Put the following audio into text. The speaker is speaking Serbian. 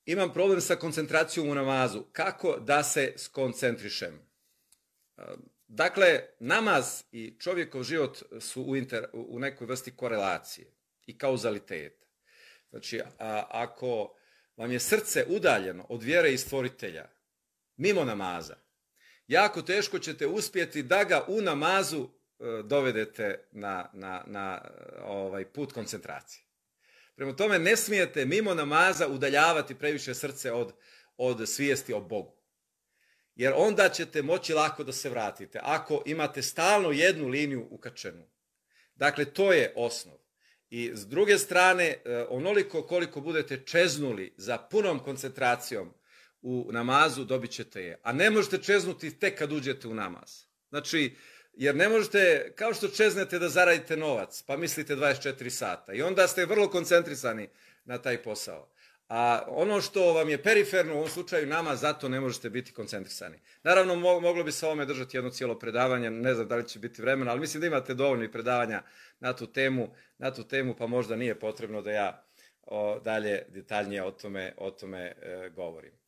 Imam problem sa koncentracijom u namazu. Kako da se skoncentrišem? Dakle, namaz i čovjekov život su u nekoj vrsti korelacije i kauzaliteta. Znači, ako vam je srce udaljeno od vjere i stvoritelja, mimo namaza, jako teško ćete uspjeti da ga u namazu dovedete na put koncentracije. Prema tome, ne smijete mimo namaza udaljavati previše srce od svijesti o Bogu. Jer onda ćete moći lako da se vratite. Ako imate stalno jednu liniju ukačenu. Dakle, to je osnov. I s druge strane, onoliko koliko budete čeznuli za punom koncentracijom u namazu, dobit ćete je. A ne možete čeznuti tek kad uđete u namaz. Znači, jer ne možete, kao što čeznete da zaradite novac, pa mislite 24 sata. I onda ste vrlo koncentrisani na taj posao. A ono što vam je periferno, u ovom slučaju namaz, zato ne možete biti koncentrisani. Naravno, moglo bi se ovome držati jedno cijelo predavanje, ne znam da li će biti vremena, ali mislim da imate dovoljno i predavanja na tu temu, pa možda nije potrebno da ja dalje detaljnije o tome govorim.